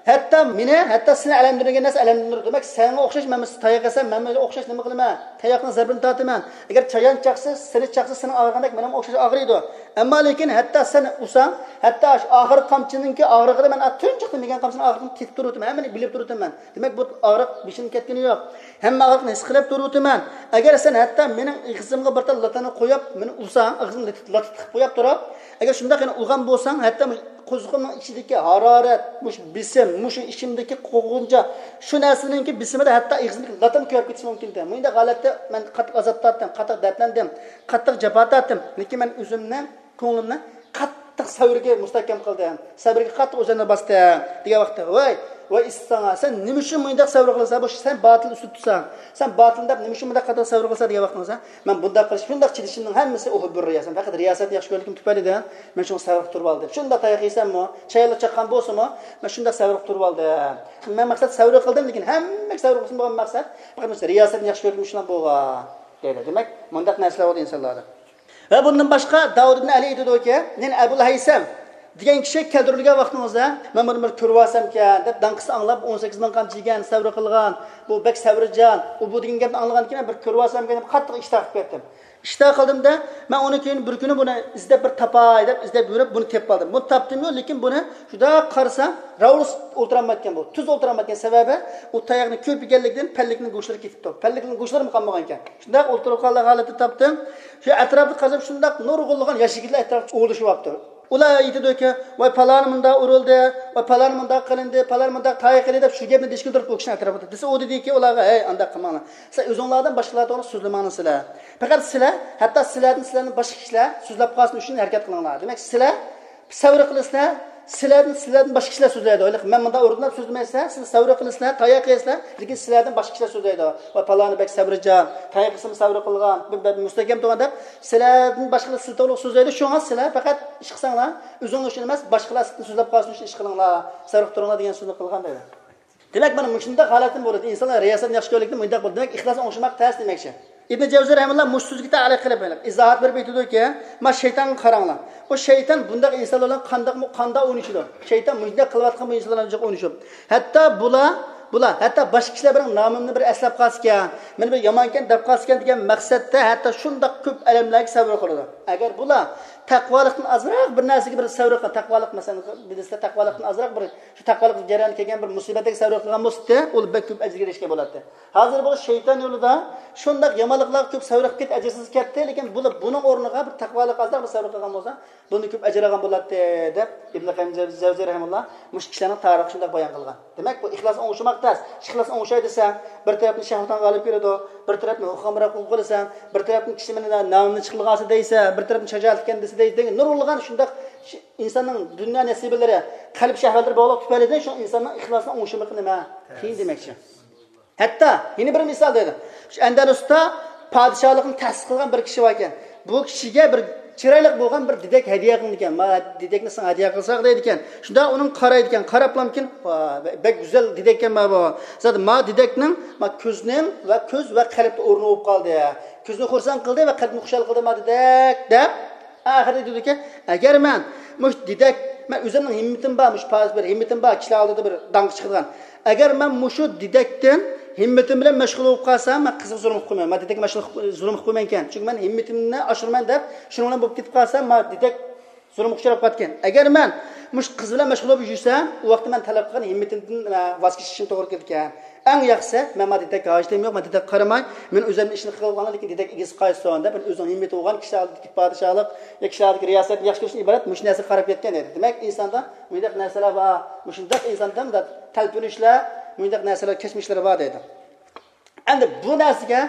ھەتتا مېنى، ھەتتا سېنى ئەلەمدىرمىگەن نەرسە ئەلەمدىرىدۇ. دېمەك، سەڭگە ئوخشاش مەن بىر تاياق يېسەم، مەنمۇ ئوخشاش نېمە قىلىمەن؟ تاياقنىڭ زەربىنى تارتىمەن. ئەگەر چايان چاقسا، سېنى چاقسا، سېنىڭ ئاغرىغاندەك مېنىڭمۇ ئوخشاش ئاغرىيدۇ. ئەمما لېكىن ھەتتا سەن ئۇرساڭ، ھەتتا ئاشۇ ئاخىرقى قامچىنىڭكى ئاغرىقىدا مەن تۇنجۇقتىن يېگەن قامچىنىڭ ئاغرىقىنى تېتىپ تۇرۇۋاتىمەن، ھەممىنى بىلىپ تۇرۇۋاتىمەن. دېمەك، بۇ ئاغرىق بېشىمدىن كەتكىنى يوق. ھەممە ئاغرىقنى ھېس قىلىپ تۇرۇۋاتىمەن. ئەگەر سەن ھەتتا مېنىڭ ئېغىزىمغا بىر تال لاتانى قويۇپ، مېنى ئۇرساڭ، ئېغىزىمغا لاتە، لاتە تىقىپ قويۇپ تۇرۇپ، ئەگەر شۇنداق يەنە ئۇرغان بولساڭ، ھەتتا مۇشۇ قوزۇقۇمنىڭ ئىچىدىكى ھارارەت، مۇشۇ بېسىم، مۇشۇ ئىچىمدىكى قوغۇنچا، شۇ نەرسىنىڭكى بېسىمىدا ھەتتا ئېغىزىمدىكى لاتام كۆيۈپ كېتىشى مۇمكىن ئىكەن. مۇنداق ھالەتتە مەن قاتتىق ئازاب تارتتىم، قاتتىق دەردلەندىم، قاتتىق جاپا تارتتىم. لېكىن مەن ئۆزۈمنى، كۆڭلۈمنى قاتتىق سەۋرگە مۇستەھكەم قىلدىم. سەۋرگە قاتتىق ئۆزۈمنى باستىم، دېگەن ۋاقىتتا، ۋاي، ۋاي ئىسسىساڭا، سەن نېمە ئۈچۈن مۇنداق سەۋر قىلىسەن؟ بۇ سەن باتىل ئۈستىدە تۇرساڭ، سەن باتىل دەپ نېمە ئۈچۈن مۇنداق قاتتىق سەۋر قىلىسەن؟ دېگەن ۋاقتىڭىزدا، مەن بۇنداق قىلىش، شۇنداق چىدىشىمنىڭ ھەممىسى ئۇ بىر رىياسەت، پەقەت رىياسەتنى ياخشى كۆرگىنىم تۈپەيلىدىن مەن شۇڭا سەۋر قىلىپ تۇرۇپ ئالدىم. شۇنداق تاياق يېسەممۇ، چايانلار چاققان بولسىمۇ، مەن شۇنداق سەۋر قىلىپ تۇرۇپ ئالدىم. مەن مەقسەت سەۋر قىلدىم، لېكىن ھەممىگە سەۋر قىلسۇن بولغان مەقسەت، پەقەت مەن رىياسەتنى ياخشى كۆرگىنىم شۇنداق بولغان، دەيدۇ. دېمەك، مۇنداق نەرسىلەر بولىدۇ ئىنسانلاردا. ۋە بۇندىن باشقا داۋۇد ئىبن ئەلى ئېيتىدۇكى، يەنى ئەبۇل ھەيسەم دېگەن كىشى كەلتۈرۈلگەن ۋاقتىڭىزدا، مەن بۇنى بىر كۆرۈۋالسامكەن دەپ داڭقىسىنى ئاڭلاپ، ئون سەككىز مىڭ قامچا يېگەن، سەۋر قىلغان، بۇ بەك سەۋرىجان، ئۇ بۇ دېگەن گەپنى ئاڭلىغاندىن كېيىن مەن بىر كۆرۈۋالسامكەن دەپ قاتتىق ئىشتىھا قىلىپ كەتتىم. ئىشتىھا قىلدىم-دە، مەن ئۇنى كېيىن بىر كۈنى بۇنى ئىزدەپ بىر تاپاي دەپ ئىزدەپ يۈرۈپ بۇنى تېپىپ ئالدىم. بۇنى تاپتىممۇ، لېكىن بۇنى شۇنداق قارىسام، راۋۇرۇس ئولتۇرالمايدىكەن بۇ. تۈز ئولتۇرالمايدىكەن، سەۋەبى ئۇ تاياقنى كۆپ يېگەنلىكىدىن پەللىكنىڭ گۆشلىرى كېتىپتۇ. پەللىكنىڭ گۆشلىرىمۇ قالمىغانىكەن. شۇنداق ئولتۇرۇپ قالغان ھالەتتە تاپتىم. شۇ ئەتراپتا قارىسام، شۇنداق نۇرغۇنلىغان ياش يىگىتلەر ئەتراپتا ئوۋلىشىۋاپتۇ. ئۇلار ئېيتىدۇكى، ۋاي پالانى مۇنداق ئۇرۇلدى، ۋاي پالانى مۇنداق قىلىندى، پالانى مۇنداق تاياق يېدى دەپ شۇ گەپنى دېيىشكىلى تۇرۇپ ئۇ كىشىنىڭ ئەتراپىدا. دېسە ئۇ دېدىكى ئۇلارغا، ھەي ئانداق قىلماڭلار. سىلەر ئۆزۈڭلاردىن باشقىلار توغرا سۆزلىمەڭلار سىلەر. پەقەت سىلەر، ھەتتا سىلەردىن، سىلەردىن باشقا كىشىلەر سۆزلەپ قالسۇن ئۈچۈن ھەرىكەت قىلىڭلار. دېمەك سىلەر سەۋر قىلىسىلەر، سىلەردىن، سىلەردىن باشقا كىشىلەر سۆزلەيدۇ. ھېلىقى مەن مۇنداق ئۇردۇم دەپ سۆزلىمەيسىلەر، سىلەر سەۋر قىلىسىلەر، تاياق يەيسىلەر، لېكىن سىلەردىن باشقا كىشىلەر سۆزلەيدۇ. ۋاي پالانى بەك سەۋرىجان، تاياق يېسىمۇ سەۋر قىلغان، بەك مۇستەھكەم تۇرغان دەپ سىلەردىن باشقىلار سىز توغرىلىق سۆزلەيدۇ. شۇڭا سىلەر پەقەت ئىش قىلساڭلار، ئۆزۈڭلار ئۈچۈن ئەمەس، باشقىلار سىزدىن سۆزلەپ قالسۇن ئۈچۈن ئىش قىلىڭلار، سەۋر قىلىپ تۇرۇڭلار دېگەن سۆزنى قىلغان دەيدۇ. دېمەك، مانا مۇشۇنداق ھالەتتىن بولىدۇ. ئىنسانلار رىياسەتنى ياخشى كۆرگەنلىكتىن مۇنداق بولىدۇ. دېمەك، ئىخلاسنى ئوڭشىماق تەس دېمەكچى. ئىبنى جەۋزى رەھىمەھۇللا مۇشۇ سۆزگە تەئلىق قىلىپ ئىزاھات بېرىپ ئېيتىدۇكى، ما شەيتانغا قاراڭلار. ئۇ شەيتان بۇنداق ئىنسانلار بىلەن قانداقمۇ، قانداق ئوينىشىدۇ؟ شەيتان مۇشۇنداق قىلىۋاتقان بۇ ئىنسانلار بىلەن جىق ئوينىشىپ. ھەتتا بۇلار، بۇلار، ھەتتا باشقا كىشىلەر بىر نامىمنى بىر ئەسلەپ قالسىكەن، مېنى بىر يامانكەن دەپ قالسىكەن دېگەن مەقسەتتە ھەتتا شۇنداق كۆپ ئەلەملەرگە سەۋر قىلىدۇ. ئەگەر بۇلار تەقۋالىقتىن ئازراق بىر نەرسىگە بىر سەۋر قىل، تەقۋالىق مەسىلەن، بىلىسىلەر، تەقۋالىقتىن ئازراق بىر شۇ تەقۋالىق جەريانىدا كەلگەن بىر مۇسىبەتكە سەۋر قىلغان بولسىدى، ئۇ بەك كۆپ ئەجىرگە ئېرىشكەن بولاتتى. ھازىر بۇ شەيتان يولىدا شۇنداق يامانلىقلارغا كۆپ سەۋر قىلىپ كەتتى، ئەجىرسىز كەتتى، لېكىن بۇلار بۇنىڭ ئورنىغا بىر تەقۋالىق ئازراق بىر سەۋر قىلغان بولسا، بۇندىن كۆپ ئەجىر ئالغان بولاتتى، دەپ ئىبن قەييىم جەۋزىي رەھىمەھۇللا مۇشۇ كىشىلەرنىڭ تارىخى شۇنداق بايان قىلغان. دېمەك، بۇ ئىخلاسنى ئوڭشىماق تەس. ئىخلاسنى ئوڭشاي دېسەڭ، بىر تەرەپتىن شەھۋەتىڭ غالىب كېلىدۇ، بىر تەرەپتىن ھۇررامراق بولۇپ قالىسەن، بىر تەرەپتىن كىشى مېنى نامىمنى چىقىرغانسى دەيسەن، بىر تەرەپتىن شاجائەتلىككەن دېسە دەيسەن، دېگەن نۇرغۇنلىغان شۇنداق ئىنساننىڭ دۇنيا نەسىبىلىرى، قەلب شەھۋەتلىرى بولغانلىق تۈپەيلىدىن شۇ ئىنساننىڭ ئىخلاسىنى ئوڭشىمىقى نېمە؟ قىيىن دېمەكچى. ھەتتا يەنە بىر مىسال دەيدۇ. شۇ ئەندەلۇستا پادىشاھلىقنى تەسىس قىلغان بىر كىشى بار ئىكەن. بۇ كىشىگە بىر چىرايلىق بولغان بىر دېدەك ھەدىيە قىلىنىدىكەن. ما دېدەكنى ساڭا ھەدىيە قىلساق دەيدىكەن. شۇنداق ئۇنىڭ قارايدىكەن. قاراپلامكىن، ۋا، بەك گۈزەل دېدەككەن ما بۇ. زادى ما دېدەكنىڭ ما كۆزنىڭ ۋە كۆز ۋە قەلبتە ئورنى بولۇپ قالدى. كۆزنى خۇرسەن قىلدى ۋە قەلبنى خۇشال قىلدى ما دېدەك دەپ، ئاخىرىدا دېدىكەن، ئەگەر مەن مۇشۇ دېدەك مەن ئۆزۈمنىڭ ھىممىتىم بار، مۇشۇ پارىز بىر ھىممىتىم بار، كىشىلەر ئالدىدا بىر داڭقا چىقىدىغان. ئەگەر مەن مۇشۇ دېدەكتىن ھىممىتىم بىلەن مەشغۇل بولۇپ قالسام، مەن قىزغا زۇلۇم قىلىپ قويمايمەن. مەن دېدەككە مەشغۇل قىلىپ، زۇلۇم قىلىپ قويمايمەنكەن. چۈنكى مەن ھىممىتىمنى ئاشۇرمايمەن دەپ، شۇنىڭ بىلەن بولۇپ كېتىپ قالسام، مەن دېدەك زۇلۇمغا ئۇچراپ قالىدىكەن. ئەگەر مەن مۇشۇ قىز بىلەن مەشغۇل بولۇپ يۈرسەم، ئۇ ۋاقىتتا مەن تەلەپ قىلغان ھىممىتىمدىن، ئە، ۋاز كېچىشىم توغرا كېلىدىكەن. ئەڭ ياخشىسى، مەن مانا دېدەك ھاجىتىم يوق، مەن دېدەك قارىماي، مەن ئۆزۈمنىڭ ئىشىنى قىلىۋالغان، لېكىن دېدەك ئىگىسى قايسىسۇن دەپ، مەن ئۆزىنىڭ ھىممىتى بولغان كىشىلەر ئالدىدىكى پادىشاھلىق يا كىشىلەر ئالدىدىكى رىياسەتنى ياخشى كۆرۈشتىن ئىبارەت مۇشۇ نەرسىگە قاراپ يەتكەن دەيدۇ. دېمەك، ئىنساندا مۇنداق نەرسىلەر بار، مۇشۇنداق ئىنساندا مۇنداق تەلپۈنۈشلەر، مۇنداق نەرسىلەر، كەچمىشلىرى بار دەيدۇ. ئەمدى بۇ نەرسىگە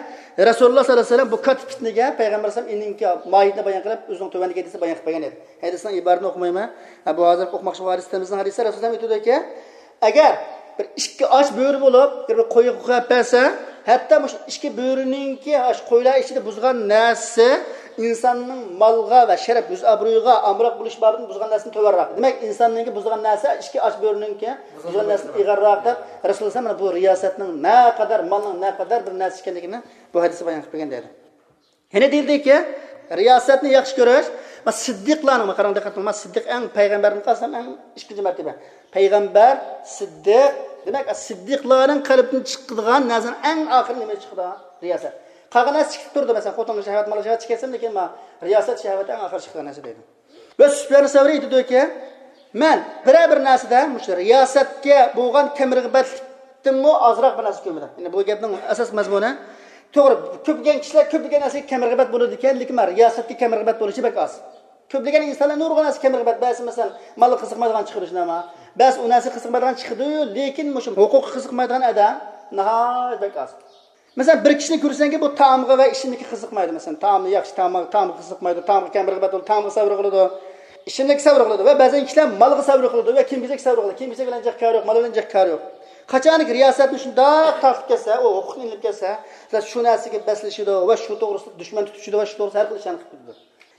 رەسۇلۇللاھ سەللەللاھۇ ئەلەيھى ۋەسەللەم بۇ كاتتا پىتنىگە پەيغەمبەر ئەلەيھىسسالام ئىنىڭكى ماھىيىتىنى بايان قىلىپ، ئۆزىنىڭ تۆۋەندىكى ھەدىسىنى بايان قىلىپ بەرگەن ئىدى. ھەدىسنىڭ ئىبارىتىنى ئوقۇمايمەن. ھە، بۇ ھازىر ئوقۇماقچى بولغان ھەدىسىمىزنىڭ ھەدىسى رەسۇلۇللاھ ئېيتىدۇكى، ئەگەر بىر ئىككى ئاچ بۆرە بولۇپ، بىر، بىر قويغا قويۇپ بەرسە، ھەتتا مۇشۇ ئىككى بۆرىنىڭكى ئاشۇ قويلار ئىچىدە بۇزغان نەرسىسى ئىنساننىڭ مالغا ۋە شەرەپ، يۈز ئابرۇيىغا ئامراق بولۇش بابىدىن بۇزغان نەرسىدىن تۆۋەنراق. دېمەك، ئىنساننىڭكى بۇزغان نەرسە ئىككى ئاچ بۆرىنىڭكى بۇزغان نەرسىدىن ئېغىرراق دەپ، رەسۇلۇللاھ مانا بۇ رىياسەتنىڭ نەقەدەر، مالنىڭ نەقەدەر بىر نەرسە ئىكەنلىكىنى بۇ ھەدىستە بايان قىلىپ بەرگەن دەيدۇ. يەنە دېيىلدىكى، رىياسەتنى ياخشى كۆرۈش، ما سىددىقلارنىڭ، ما قاراڭ، دىققەت قىلىڭ، ما سىددىق ئەڭ پەيغەمبەردىن قالسام ئەڭ ئىككىنچى مەرتىبە. پەيغەمبەر، سىددىق، دېمەك، سىددىقلارنىڭ قەلبىدىن چىقىدىغان نەرسىنىڭ ئەڭ ئاخىرى نېمە چىقىدۇ؟ رىياسەت. قالغان نەرسە چىقىپ تۇرىدۇ، مەسىلەن، خوتۇنغا شەھۋەت، مالغا شەھۋەت چېكەتسەم، لېكىن ما رىياسەت شەھۋىتى ئەڭ ئاخىرى چىقىدىغان نەرسە دەيدۇ. ۋە سۇپيان سەۋرى ئېيتىدۇكى، مەن بىرەر بىر نەرسىدە مۇشۇ رىياسەتكە بولغان كەم رىغبەتلىكتىنمۇ ئازراق بىر نەرسە كۆرمىدىم. يەنى بۇ گەپنىڭ ئاساس مەزمۇنى، توغرا، كۆپلىگەن كىشىلەر كۆپلىگەن نەرسىگە كەم رىغبەت بولىدىكەن، لېكىن مانا رىياسەتكە كەم رىغبەت بولۇشى بەك ئاز. كۆپلىگەن ئىنسانلار نۇرغۇن نەرسىگە كەم رىغبەت، بەزى مەسىلەن، مالغا قىزىقمايدىغان چىقىدۇ، شۇنداقمۇ؟ بەزى ئۇ نەرسىگە قىزىقمايدىغان چىقىدۇ، لېكىن مۇشۇ ھوقۇققا قىزىقمايدىغان ئادەم ناھايىتى بەك ئاز. مەسىلەن، بىر كىشىنى كۆرسەڭكى، بۇ تائامغا ۋە ئىچىملىككە قىزىقمايدۇ. مەسىلەن، تائامنى ياخشى، تائامغا، تائامغا قىزىقمايدۇ، تائامغا كەم رىغبەت بولىدۇ، تائامغا سەۋر قىلىدۇ، ئىچىملىككە سەۋر قىلىدۇ. ۋە بەزەن كىشىلەر مالغا سەۋر قىلىدۇ ۋە كىيىم-كېچەككە سەۋر قىلىدۇ. كىيىم-كېچەك بىلەن جىق كارى يوق، مال بىلەن جىق كارى يوق. قاچانكى رىياسەتنى شۇنداق تارتىپ كەتسە، ئۇ ھوقۇقنى ئېلىپ كەتسە، شۇ نەرسىگە بەسلىشىدۇ ۋە شۇ توغرىسىدا دۈشمەن تۇتۇشىدۇ ۋە شۇ توغرىسىدا ھەر خىل ئىشلارنى قىلىپ كېتىدۇ.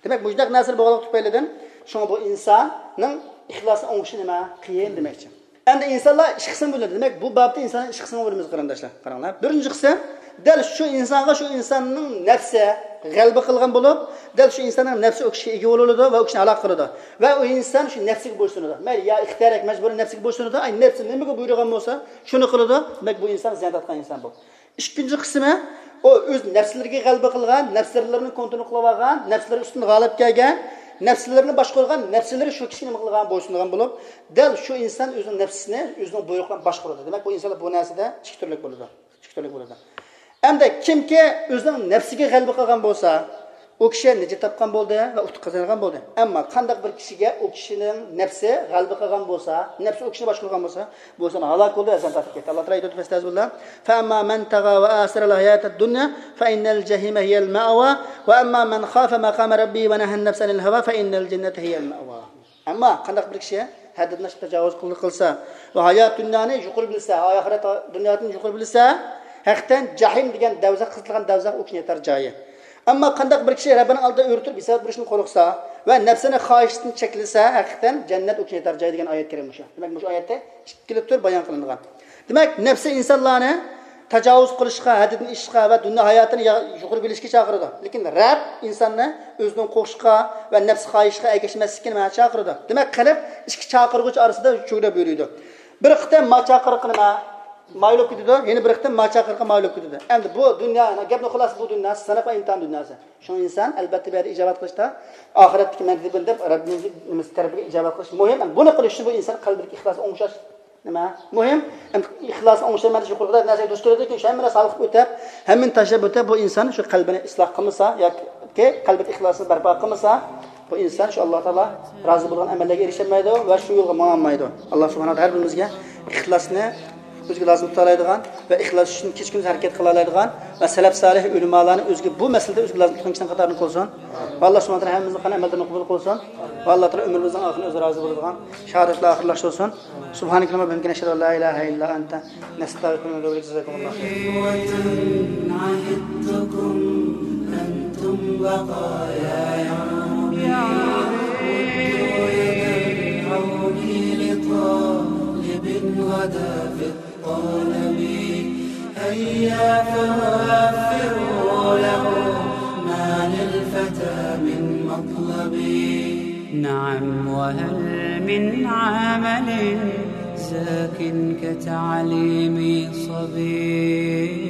دېمەك، مۇشۇنداق نەرسىلەر بولغانلىقى تۈپەيلىدىن، شۇڭا بۇ ئىنساننىڭ ئىخلاسىنى ئوڭشىشى نېمە؟ قىيىن دېمەكچى. ئەمدى ئىنسانلار ئىككى قىسىمغا بۆلۈنىدۇ. دېمەك، بۇ بابتا ئىنسانلار ئىككى قىسىمغا بۆلىمىز، قېرىنداشلار. قاراڭلار. بىرىنچى قىسىم، دەل شۇ ئىنسانغا شۇ ئىنساننىڭ نەپسى غەلىبە قىلغان بولۇپ، دەل شۇ ئىنساننىڭ نەپسى ئۇ كىشىگە ئىگە بولىدۇ ۋە ئۇ كىشىنى ھالاك قىلىدۇ. ۋە ئۇ ئىنسان شۇ نەپسىگە بويسۇنىدۇ. مەيلى يا ئىختىيارىي ياكى مەجبۇرىي نەپسىگە بويسۇنىدۇ. ئاي، نەپسى نېمىگە بۇيرۇغان بولسا، شۇنى قىلىدۇ. دېمەك، بۇ ئىنسان زىيان تارتقان ئىنسان بۇ. ئىككىنچى قىسمى، ئۇ ئۆز نەپسلىرىگە غەلىبە قىلغان، نەپسلىرىنىڭ كونترول قىلىۋالغان، نەپسلىرى ئۈستىدىن غالىب كەلگەن، نەپسلىرىنى باشقۇرغان، نەپسلىرى شۇ كىشىگە نېمە قىلغان، بويسۇنغان بولۇپ، دەل شۇ ئىنسان ئۆزىنىڭ نەپسىنى ئۆزىنىڭ بۇيرۇقى بىلەن باشقۇرىدۇ. دېمەك، بۇ ئىنسانلار بۇ نەرسىدە ئىككى تۈرلۈك بولىدۇ. ئىككى تۈرلۈك بولىدۇ. ئەمدى كىمكى ئۆزىنىڭ نەپسىگە غەلىبە قىلغان بولسا، ئۇ كىشى نىجات تاپقان بولدى ۋە ئۇتۇق قازانغان بولدى. ئەمما قانداق بىر كىشىگە ئۇ كىشىنىڭ نەپسى غەلىبە قىلغان بولسا، نەپسى ئۇ كىشىنى باشقۇرغان بولسا، بۇ ئىنسان ھالاك بولدى، ئەزاب تارتىپ كەتتى. ئاللا تائالا ئېيتىدۇ، فەستەزبىللا، فەئەمما مەن تەغا ۋە ئاسەرەل ھاياتەد دۇنيا فەئىننەل جەھىمە ھىيەل مەئۋا ۋە ئەمما مەن خافە مەقامە رەببىھى ۋە نەھەن نەفسە ئەنىل ھەۋا فەئىننەل جەننەتە ھىيەل مەئۋا. ئەمما قانداق بىر كىشى ھەددىدىن ئاشىپ تاجاۋۇز قىل-، قىلسا ۋە ھايات دۇنيانى يۇقىرى بىلسە، ئاخىرەت دۇنيادىن يۇقىرى بىلسە، ھەقىقەتەن جەھىم دېگەن دەۋزەخ، قىزىتىلغان دەۋزەخ ئۇ كىشىنى ياتار جايى. ئەمما قانداق بىر كىشى رەببىنىڭ ئالدىدا ئۆرە تۇرۇپ ھېساب بېرىشتىن قورقسا ۋە نەپسىنى خاھىشتىن چەكلىسە، ھەقىقەتەن جەننەت ئۇ كىشىنى ياتار جايى دېگەن ئايەت كەرىم مۇشۇ. دېمەك، مۇشۇ ئايەتتە ئىككىلا تۈر بايان قىلىنغان. دېمەك، نەپسى ئىنسانلارنى تاجاۋۇز قىلىشقا، ھەددىدىن ئېشىشقا ۋە دۇنيا ھاياتىنى يا-، يۇقىرى بىلىشكە چاقىرىدۇ. لېكىن رەب ئىنساننى ئۆزىنىڭ قوشۇشقا ۋە نەپسى خاھىشقا ئەگەشمەسلىككە نېمە چاقىرىدۇ. دېمەك، قەلب ئىككى چاقىرغۇچ ئارىسىدا چۆگىدە بۆرۈيدۇ. بىر قېتىم ما چاقىرىققا نېمە مايىل بولۇپ كېتىدۇ، يەنە بىر قېتىم ما چاقىرىققا مايىل بولۇپ كېتىدۇ. ئەمدى بۇ دۇنيا، گەپنىڭ خۇلاسىسى بۇ دۇنيا سىناق ۋە ئىمتىھان دۇنياسى. شۇڭا ئىنسان ئەلۋەتتە بۇ يەردە ئىجابەت قىلىشتا ئاخىرەتتىكى مەنزىلى بۇ دەپ رەببىمىزنىڭ نېمىسى تەرىپىگە ئىجابەت قىلىش مۇھىم. بۇنى قىلىش ئۈچۈن بۇ ئىنسان قەلبىدىكى ئىخلاسى ئوڭشاش نېمە؟ مۇھىم. ئەمدى ئىخلاسنى ئوڭشايمەن دېسە يۇقىرىقىدا نەرسىگە دۇچ كېلىدۇكى، شۇ ھەممە نەرسە ھالقىپ ئۆتۈپ، ھەممىنى تاشلاپ ئۆتۈپ، بۇ ئىنسان شۇ قەلبىنى ئىسلاھ قىلمىسا ياكى قەلبىدە ئىخلاسنى بەرپا قىلمىسا، بۇ ئىنسان شۇ ئاللا تائالا رازى بولغان ئەمەللەرگە ئېرىشەلمەيدۇ ۋە شۇ يولغا ماڭالمايدۇ. ئاللا سۇبھانەھۇ ۋە تائالا ھەر بىرىمىزگە ئىخلاسنى ئۆزىگە لازىم تۇتالايدىغان ۋە ئىخلاس ئۈچۈن كېچە-كۈندۈز ھەرىكەت قىلالايدىغان ۋە سەلەپ سالىھ ئۆلىمالارنى ئۆزىگە بۇ مەسىلىدە ئۆزىگە لازىم تۇتقان كىشىلەرنىڭ قاتارىدىن قىلسۇن. ۋە ئاللا سۇبھانەھۇ ۋە تائالا ھەممىمىزنىڭ قىلغان ئەمەللىرىنى قوبۇل قىلسۇن. ۋە ئاللا تائالا ئۆمرىمىزنىڭ ئاخىرىنى ئۆزى رازى بولىدىغان شاھادەت بىلەن ئاخىرلاشتۇرسۇن. سبحانك اللهم وبحمدك، نشهد أن لا إله إلا أنت، نستغفرك ونتوب إليك. جزاكم الله خيرا. إخوة عهدتكم أنتم بقايا يومي، مدوا يد العون لطالب غدا في الطلب. هيا فوفروا له ما للفتى من مطلب. نعم، وهل من عمل زاك كتعليم صبي؟